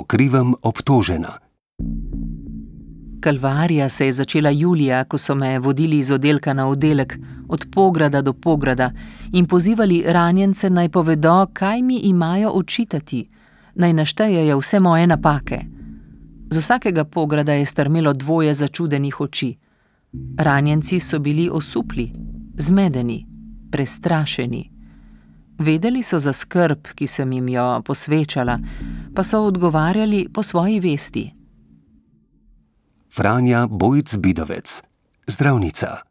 krivem obtožena. Kalvarija se je začela julija, ko so me vodili iz oddelka na oddelek, od pograda do pograda in pozivali ranjence, naj povedo, kaj mi imajo očitati, naj naštejejo vse moje napake. Z vsakega pograda je strmelo dvoje začudenih oči. Ranjenci so bili osupli, zmedeni, prestrašeni. Vedeli so za skrb, ki sem jim jo posvečala, pa so odgovarjali po svoji vesti. Franja Bojc Bidovec, zdravnica.